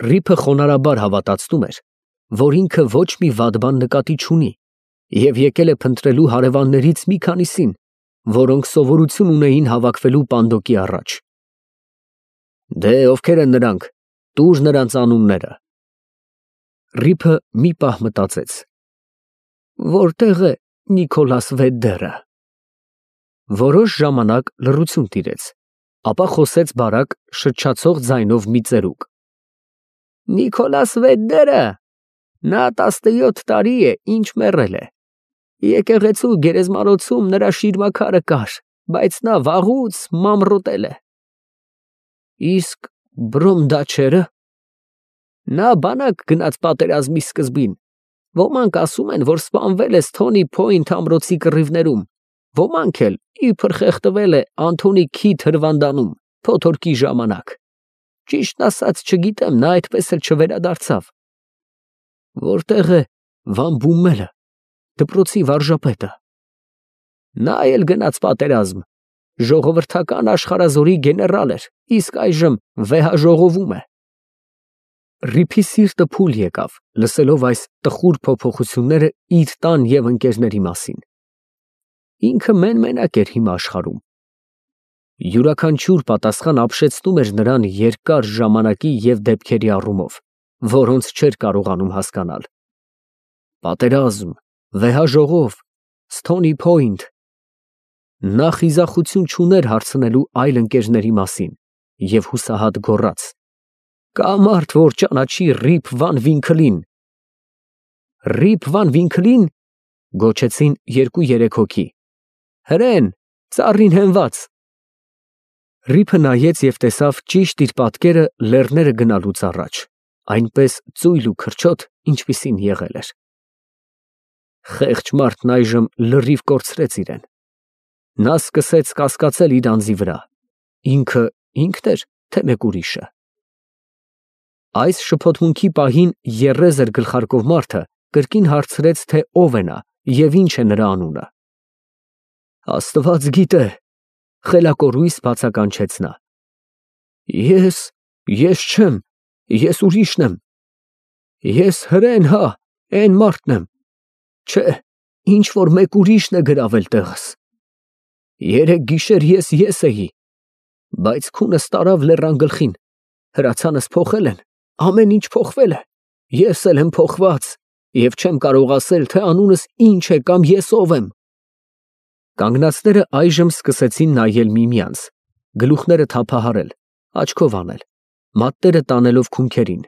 Ռիփը խոնարհաբար հավատացնում էր, որ ինքը ոչ մի վատ բան նկատի չունի և եկել է փնտրելու հարևաններից մի քանիսին, որոնք սովորություն ունեին հավաքվելու Պանդոկի առաջ։ Դե ովքեր են նրանք, տուր նրանց անունները։ Ռիփը մի պահ մտածեց. Որտե՞ղ է Նիկոլաս Վեդդերը։ Որոշ ժամանակ լռություն տիրեց, ապա խոսեց բարակ շչացող ձայնով մի ծերուկ. Նիկոլաս Վեդդերը, նա 17 տարի է, ինչ մեռել է։ Եկեղեցու գերեզմանոցում նրա շիրմաքարը կար, բայց նա վաղուց մամռոտել է։ Իսկ Բրոմդաչերը։ Նա բանակ գնաց պատերազմի սկզբին։ Ոմանք ասում են, որ սպանվել է Սթոնի Փոյնթ ամրոցի կռիվներում, ոմանք էլ իբր խեղդվել է Անթոնի Քիթ հրվանդանում փոթորկի ժամանակ։ Ճիշտն ասած չգիտեմ, նա այդպես էլ չվերադարձավ։ Որտե՞ղ է Վան Բումելը, դպրոցի վարժապետը։ Նա էլ գնաց պատերազմ, ժողովրդական աշխարհազորի գեներալ էր, իսկ այժմ վեհաժողովում է։ Ռիփի սիրտը փուլ եկավ, լսելով այս տխուր փոփոխությունները իր տան և ընկերների մասին։ Ինքը մեն֊մենակ էր հիմա աշխարհում։ Յուրաքանչյուր պատասխան ապշեցնում էր նրան երկար ժամանակի և դեպքերի առումով, որոնց չէր կարողանում հասկանալ։ Պատերազմ, վեհաժողով, Սթոնի Փոյնթ։ Նա խիզախություն չուներ հարցնելու այլ ընկերների մասին և հուսահատ գոռաց. Կա մարդ, որ ճանաչի Ռիփ Վան Վինքլին։ Ռիփ Վան Վինքլին, գոչեցին երկու-երեք հոգի։ Հրեն, ծառին հենված։ Ռիփը նայեց և տեսավ ճիշտ իր պատկերը լեռները գնալուց առաջ, այնպես ծույլ ու քրչոտ, ինչպիսին եղել էր։ Խեղճ մարդն այժմ լրիվ կորցրեց իրեն։ Նա սկսեց կասկածել իր անձի վրա, ինքն էր, թե մեկ ուրիշը։ Այս շփոթմունքի պահին եռեզ էր գլխարկով մարդը կրկին հարցրեց, թե ով է նա և ինչ է նրա անունը։ Աստված գիտե, խելակորույս բացականչեց նա։ Ես չեմ, ես ուրիշն եմ։ Ես Հրեն, հա, էն մարդն եմ։ Չէ, ինչ որ մեկ ուրիշն է գրավել տեղս։ Երեկ գիշեր ես էի, բայց քունս տարավ լեռան գլխին, հրացանս փոխել են, ամեն ինչ փոխվել է, ես էլ եմ փոխված և չեմ կարող ասել, թե անունս ինչ է կամ ես ով եմ։ Կանգնածները այժմ սկսեցին նայել միմյանց, գլուխները թափահարել, աչքով անել, մատները տանելով քունքերին։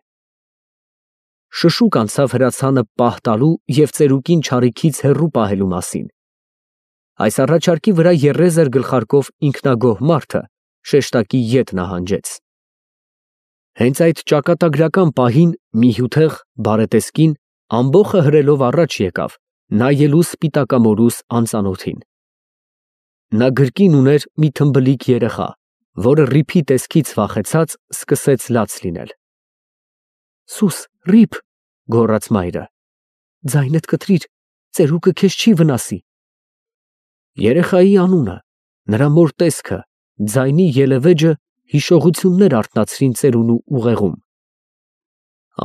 Շշուկ անցավ հրացանը պահ տալու և ծերուկին չարիքից հեռու պահելու մասին։ Այս առաջարկի վրա եռեզ էր գլխարկով ինքնագոհ մարդը շեշտակի ետ նահանջեց։ Հենց այդ ճակատագրական պահին մի հյութեղ բարետեսկին ամբոխը հրելով առաջ եկավ, նայելու սպիտակամորուս անծանոթին։ Նա գրկին ուներ մի թմբլիկ երեխա, որը Ռիփի տեսքից վախեցած սկսեց լաց լինել։ Սուս, Ռիփ, գոռաց մայրը, ձայնդ կտրիր, ծերուկը քեզ չի վնասի։ Երեխայի անունը, նրա մոր տեսքը, ձայնի ելևէջը հիշողություններ արթնացրին ծերունու ուղեղում։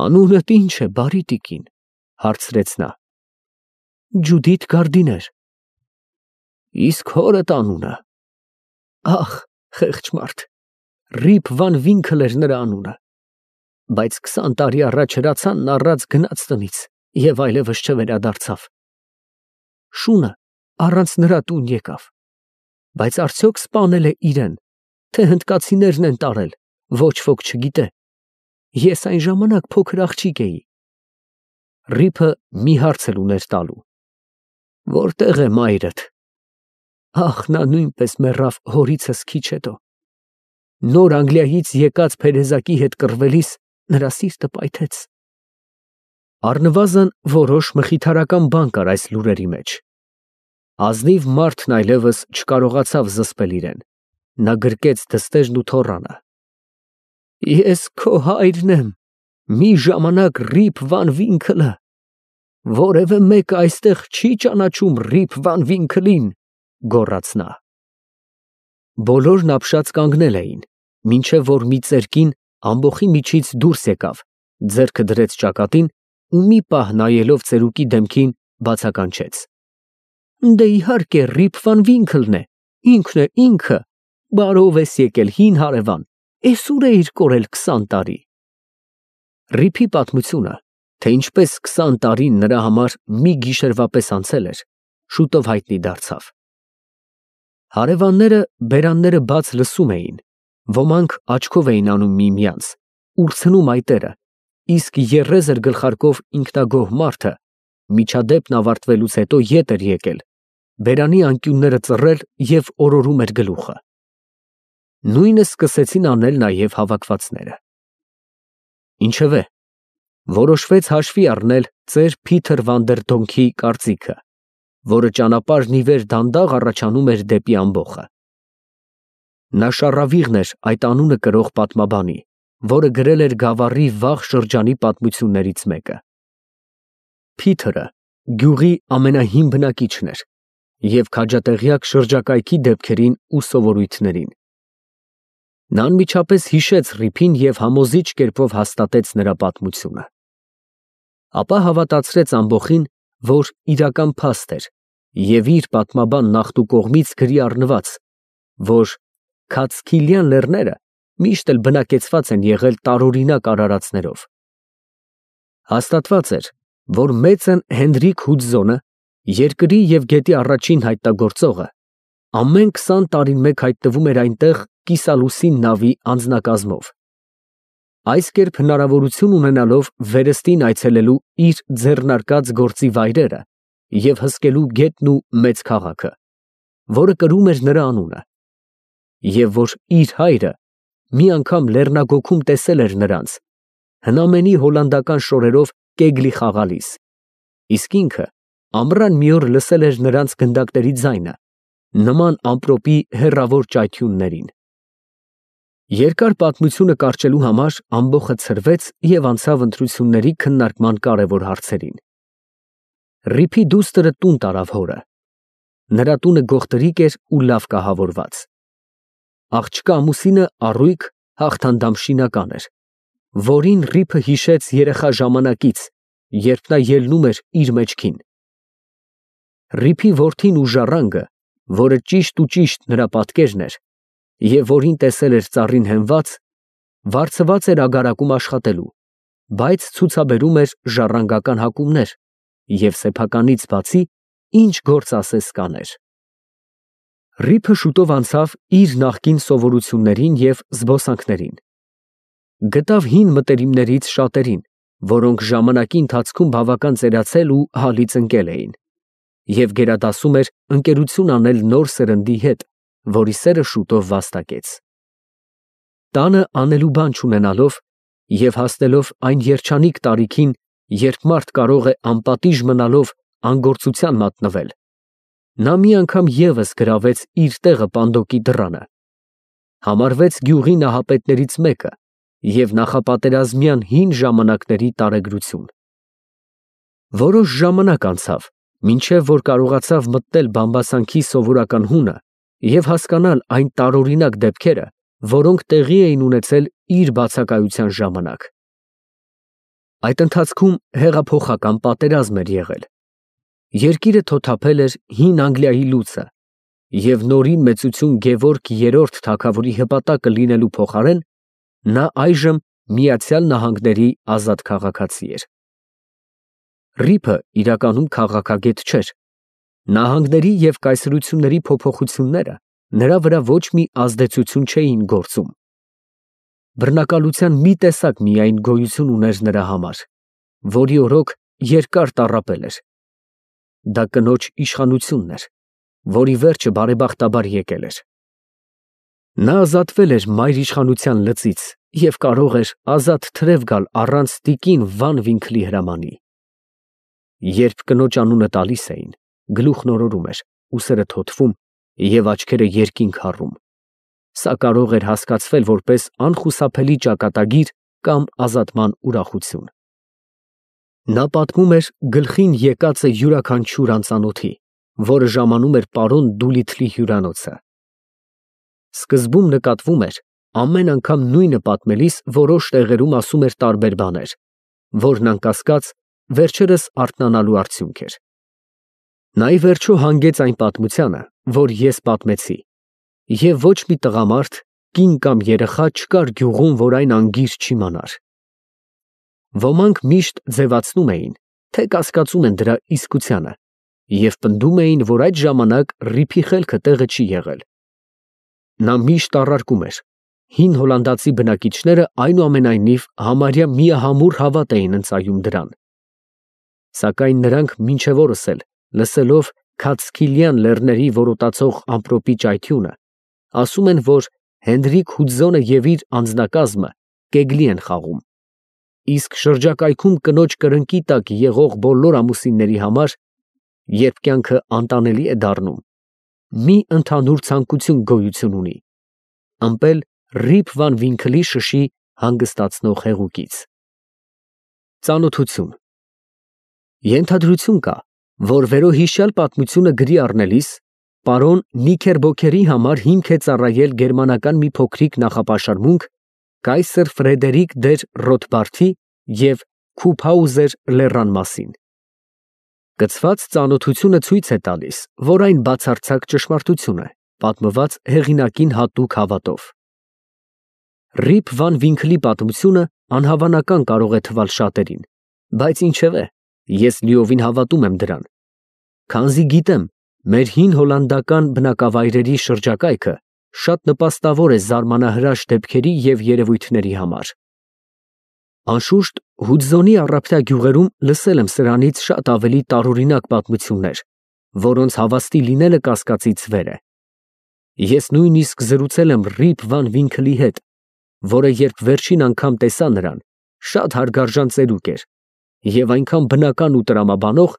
Անունդ ի՞նչ է, բարի տիկին, հարցրեց նա։ Ջուդիթ Գարդիներ։ Իսկ հորդ անունը։ Ախ, խեղճ մարդ, Ռիփ Վան Վինքլ էր նրա անունը, բայց 20 տարի առաջ հրացանն առած գնաց տնից և այլևս չվերադարձավ։ Շունը առանց նրա տուն եկավ, բայց արդյոք սպանել է իրեն, թե հնդկացիներն են տարել, ոչ ոք չգիտե։ Ես այն ժամանակ փոքր աղջիկ էի։ Ռիփը մի հարց էլ ուներ տալու. Որտե՞ղ է մայրդ։ Ախ, նա նույնպես մեռավ հորիցս քիչ հետո։ Նոր Անգլիայից եկած փերեզակի հետ կռվելիս նրա սիրտը պայթեց։ Առնվազն որոշ մխիթարական բան կար այս լուրերի մեջ։ Ազնիվ մարդն այլևս չկարողացավ զսպել իրեն։ Նա գրկեց դստերն ու թոռանը։ Ես քո հայրն եմ, մի ժամանակ Ռիփ Վան Վինքլը։ Որևէ մեկը այստեղ չի ճանաչում Ռիփ Վան Վինքլին, գոռաց նա։ Բոլորն ապշած կանգնել էին, մինչև որ մի ծեր կին ամբոխի միջից դուրս եկավ ձեռքը դրեց ճակատին ու մի պահ նայելով ծերուկի դեմքին բացականչեց. Դե իհարկե Ռիփ վան Վինքլն է, ինքն է ինքը, բարով ես եկել հին հարևան, էս ուր էիր կորել 20 տարի։ Ռիփի պատմությունը, թե ինչպես 20 տարին նրա համար մի գիշերվա պես անցել էր, շուտով հայտնի դարձավ։ Հարևանները բերանները բաց լսում էին, ոմանք աչքով էին անում միմյանց, ուրցնում այտերը, իսկ երես էր գլխարկով ինքնագոհ մարդը, միջադեպն ավարտվելուց հետո ետ էր եկել, բերանի անկյունները ծռել և օրորում էր գլուխը։ Նույնը սկսեցին անել նաև հավաքվածները։ Ինչևէ, որոշվեց հաշվի առնել ծեր Փիթր Վանդերդոնքի կարծիքը, որը ճանապարհն ի վեր դանդաղ առաջանում էր դեպի ամբոխը։ Նա շառավիղն էր այդ անունը կրող պատմաբանի, որը գրել էր Գավառի վաղ շրջանի պատմություններից մեկը։ Փիթրը գյուղի ամենահին բնակիչն էր և քաջատեղյակ շրջակայքի դեպքերին ու սովորույթներին։ Նա անմիջապես հիշեց Ռիփին և համոզիչ կերպով հաստատեց նրա պատմությունը։ Ապա հավատացրեց ամբոխին, որ իրական փաստ էր և իր պատմաբան Նախտու կողմից գրի առնված, որ Քաթսքիլյան լեռները միշտ էլ բնակեցված են եղել տարօրինակ արարածներով։ Հաստատված էր, որ մեծն Հենրիկ Հուդզոնը, երկրի և գետի առաջին հայտնագործողը, ամեն 20 տարին մեկ հայտնվում էր այնտեղ կիսալուսին նավի անձնակազմով։ Այս կերպ հնարավորություն ունենալով վերստին այցելելու իր ձեռնարկած գործի վայրերը և հսկելու գետն ու մեծ քաղաքը, որը կրում էր նրա անունը, և որ իր հայրը մի անգամ լեռնագոգում տեսել էր նրանց, հնամենի հոլանդական շորերով կեգլի խաղալիս, իսկ ինքը ամռան մի օր լսել էր նրանց գնդակների ձայնը, նման ամպրոպի հեռավոր ճայթյուններին։ Երկար պատմությունը կարճելու համար ամբոխը ցրվեց և անցավ ընտրությունների քննարկման կարևոր հարցերին։ Ռիփի դուստրը տուն տարավ հորը։ Նրա տունը գողտրիկ էր ու լավ կահավորված։ Աղջկա ամուսինը առույգ հաղթանդամ շինական էր, որին Ռիփը հիշեց երեխա ժամանակից, երբ նա ելնում էր իր մեջքին։ Ռիփի որդին ու ժառանգը, որը ճիշտ նրա պատկերն էր, և որին տեսել էր ծառին հենված, վարձված էր ագարակում աշխատելու, բայց ցուցաբերում էր ժառանգական հակումներ և սեփականից բացի ինչ գործ ասես կաներ։ Ռիփը շուտով անցավ իր նախկին սովորություններին և զբոսանքներին։ Գտավ հին մտերիմներից շատերին, որոնք ժամանակի ընթացքում բավական ծերացել ու հալից ընկել էին, և գերադասում էր ընկերություն անել նոր սերնդի հետ, որի սերը շուտով վաստակեց։ Տանը անելու բան չունենալով և հասնելով այն երջանիկ տարիքին, երբ մարդ կարող է անպատիժ մնալով անգործության մատնվել, նա մի անգամ ևս գրավեց իր տեղը պանդոկի դռանը, համարվեց գյուղի նահապետներից մեկը և նախապատերազմյան հին ժամանակների տարեգրություն։ Որոշ ժամանակ անցավ, մինչև որ կարողացավ մտնել բամբասանքի սովորական հունը և հասկանալ այն տարօրինակ դեպքերը, որոնք տեղի էին ունեցել իր բացակայության ժամանակ։ Այդ ընթացքում հեղափոխական պատերազմ էր եղել։ Երկիրը թոթափել էր հին Անգլիայի լուծը, և նորին մեծություն Գևորգ III թագավորի հպատակը լինելու փոխարեն նա այժմ Միացյալ Նահանգների ազատ քաղաքացի էր։ Ռիփը իրականում քաղաքագետ չէր։ Նահանգների և կայսրությունների փոփոխությունները նրա վրա ոչ մի ազդեցություն չէին գործում։ Բռնակալության մի տեսակ միայն գոյություն ուներ նրա համար, որի օրոք երկար տառապել էր։ Դա կնոջ իշխանությունն էր, որի վերջը բարեբախտաբար եկել էր։ Նա ազատվել էր մայր իշխանության լծից և կարող էր ազատ թրև գալ առանց տիկին Վան Վինքլի հրամանի։ Երբ կնոջ անունը տալիս էին, գլուխն օրորում էր, ուսերը թոթվում և աչքերը երկինք հառում։ Սա կարող էր հասկացվել որպես անխուսափելի ճակատագիր կամ ազատման ուրախություն։ Նա պատմում էր գլխին եկածը յուրաքանչյուր անծանոթի, որը ժամանում էր պարոն Դուլիթլի հյուրանոցը։ Սկզբում նկատվում էր, ամեն անգամ նույնը պատմելիս որոշ տեղերում ասում էր տարբեր բաներ, որն անկասկած վերջերս արթնանալու արդյունք էր։ Նա ի վերջո հանգեց այն պատմությանը, որ ես պատմեցի, և ոչ մի տղամարդ, կին կամ երեխա չկար գյուղում, որ այն անգիր չիմանար։ Ոմանք միշտ ձևացնում էին, թե կասկածում են դրա իսկությանը, և պնդում էին, որ այդ ժամանակ ռիփի խելքը տեղը չի եղել։ Նա միշտ առարկում էր. հին հոլանդացի բնակիչները այնուամենայնիվ համարյա միահամուռ հավատ էին ընծայում դրան։ Սակայն նրանք մինչև օրս էլ, լսելով Քաթսքիլյան լեռների որոտացող ամպրոպի ճայթյունը, ասում են, որ Հենրիկ Հուդզոնը և իր անձնակազմը կեգլի են խաղում, իսկ շրջակայքում կնոջ կրնկի տակ եղող բոլոր ամուսինների համար, երբ կյանքը անտանելի է դառնում, մի ընդհանուր ցանկություն գոյություն ունի՝ ըմպել Ռիփ Վան Վինքլի շշի հանգստացնող հեղուկից։ Ծանոթություն։ Ենթադրություն կա, որ վերոհիշյալ պատմությունը գրի առնելիս պարոն Նիքերբոքերի համար հիմք է ծառայել գերմանական մի փոքրիկ նախապաշարմունք Կայսեր Ֆրեդերիկ դեր Ռոթբարդի և Քուփհաուզեր լեռան մասին։ Կցված ծանոթությունը ցույց է տալիս, որ այն բացարձակ ճշմարտություն է, պատմված հեղինակին հատուկ հավատով։ Ռիփ Վան Վինքլի պատմությունը անհավանական կարող է թվալ շատերին, բայց ինչևէ, ես լիովին հավատում եմ դրան, քանզի գիտեմ, մեր հին հոլանդական բնակավայրերի շրջակայքը շատ նպաստավոր է զարմանահրաշ դեպքերի և երևույթների համար։ Անշուշտ, Հուդզոնի առափնյա գյուղերում լսել եմ սրանից շատ ավելի տարօրինակ պատմություններ, որոնց հավաստի լինելը կասկածից վեր է։ Ես նույնիսկ զրուցել եմ Ռիփ Վան Վինքլի հետ, որը երբ վերջին անգամ տեսա նրան, շատ հարգարժան ծերուկ էր և այնքան բնական ու տրամաբանող,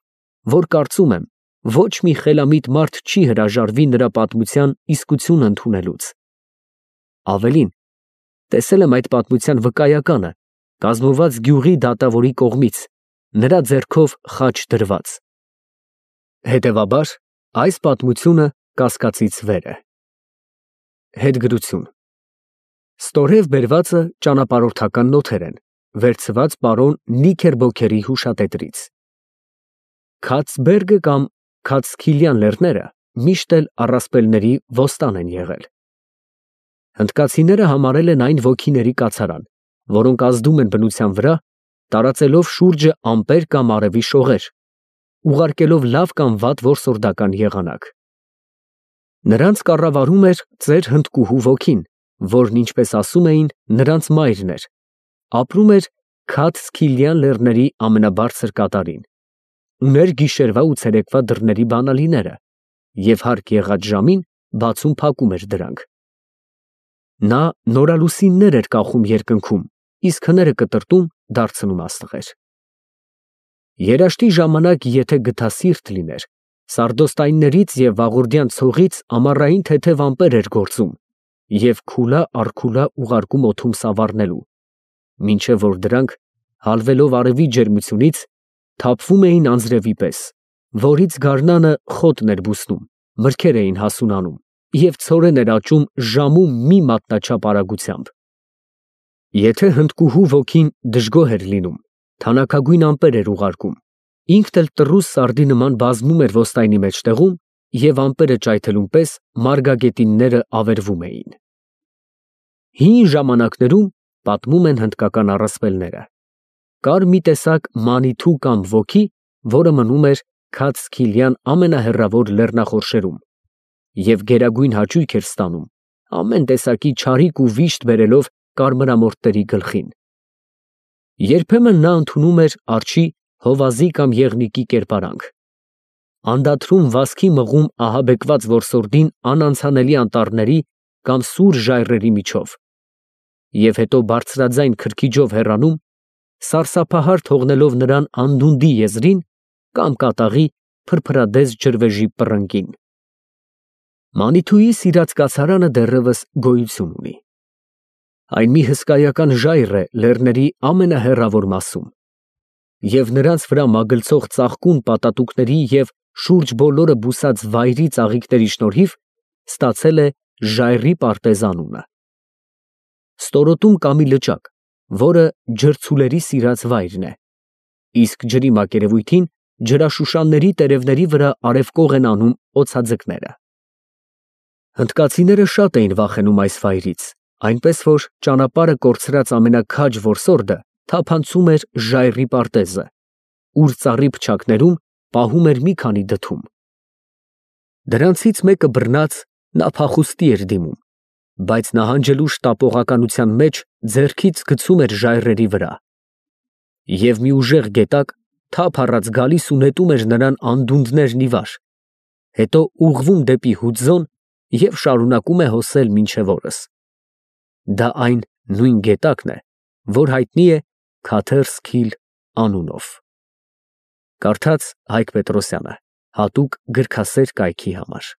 որ կարծում եմ, ոչ մի խելամիտ մարդ չի հրաժարվի նրա պատմության իսկությունը ընդունելուց։ Ավելին, տեսել եմ այդ պատմության վկայականը, կազմված գյուղի դատավորի կողմից, նրա ձեռքով խաչ դրված։ Հետևաբար, այս պատմությունը կասկածից վեր է։ Հետգրություն։ Ստորև բերվածը ճանապարհորդական նոթեր են, վերցված պարոն Նիքերբոքերի հուշատետրից։ Քաթսբերգը կամ Քաթսքիլյան լեռները միշտ էլ առասպելների ոստան են եղել։ Հնդկացիները համարել են այն ոգիների կացարան, որոնք ազդում են բնության վրա, տարածելով շուրջը ամպեր կամ արևի շողեր, ուղարկելով լավ կամ վատ որսորդական եղանակ։ Նրանց կառավարում էր ծեր հնդկուհու ոգին, որն, ինչպես ասում էին, նրանց մայրն էր, ապրում էր Քաթսքիլյան լեռների ամենաբարձր կատարին, ուներ գիշերվա ու ցերեկվա դռների բանալիները և հարկ եղած ժամին բացում փակում էր դրանք։ Նա նորալուսիններ էր կախում երկնքում, իսկ հները կտրտում դարձնում աստղեր։ Երաշտի ժամանակ, եթե գթասիրտ լիներ, սարդոստայններից և վաղորդյան ցողից ամառային թեթև ամպեր էր գործում և քուլա առ քուլա ուղարկում օդում սավառնելու, մինչև որ դրանք, հալվելով արևի ջերմությունից, թափվում էին անձրևի պես, որից գարնանը խոտն էր բուսնում, մրգեր էին հասունանում և ցորեն էր աճում ժամում մի մատնաչափ արագությամբ։ Եթե հնդկուհու ոգին դժգոհ էր լինում, թանաքագույն ամպեր էր ուղարկում, ինքն էլ տռուս սարդի նման բազմում էր ոստայնի մեջտեղում և ամպերը ճայթելուն պես մարգագետինները ավերվում էին։ Հին ժամանակներում, պատմում են հնդկական առասպելները, կար մի տեսակ մանիթու կամ ոգի, որը մնում էր Քաթսքիլյան ամենահեռավոր լեռնախորշերում և գերագույն հաճույք էր ստանում, ամեն տեսակի չարիք ու վիշտ բերելով կարմրամորթերի գլխին։ Երբեմն նա ընդունում էր արջի, հովազի կամ եղնիկի կերպարանք, անդադրում վազքի մղում ահաբեկված որսորդին անանցանելի անտառների կամ սուր ժայռերի միջով և հետո բարձրաձայն քրքիջով հեռանում, սարսափահար թողնելով նրան անդունդի եզրին կամ կատաղի փրփրադես ջրվեժի պռնկին։ Մանիթուի սիրած կացարանը դեռևս գոյություն ունի։ Այն մի հսկայական ժայռ է լեռների ամենահեռավոր մասում, և նրանց վրա մագլցող ծաղկուն պատատուկների և շուրջ բոլորը բուսած վայրի ծաղիկների շնորհիվ ստացել է ժայռի պարտեզ անունը։ Ստորոտում կա մի լճակ, որը ջրցուլերի սիրած վայրն է, իսկ ջրի մակերևույթին ջրաշուշանների տերևների վրա արևկող են անում օձաձկները։ Հնդկացիները շատ էին վախենում այս վայրից, այնպես որ ճանապարհը կորցրած ամենաքաջ որսորդը թափանցում էր ժայռի պարտեզը, ուր ծառի փչակներում պահում էր մի քանի դդում։ Դրանցից մեկը բռնած նա փախուստի էր դիմում, բայց նահանջելու շտապողականության մեջ ձեռքից գցում էր ժայռերի վրա։ Եվ մի ուժեղ գետակ թափ առած գալիս ու նետում էր նրան անդունդներն ի վար, հետո ուղղվում դեպի Հուձոն և շարունակում է հոսել մինչև օրս։ Դա այն նույն գետակն է, որ հայտնի է Քաթերսքիլ անունով։ Կարդաց Հայկ Պետրոսյանը, հատուկ գրքասեր կայքի համար։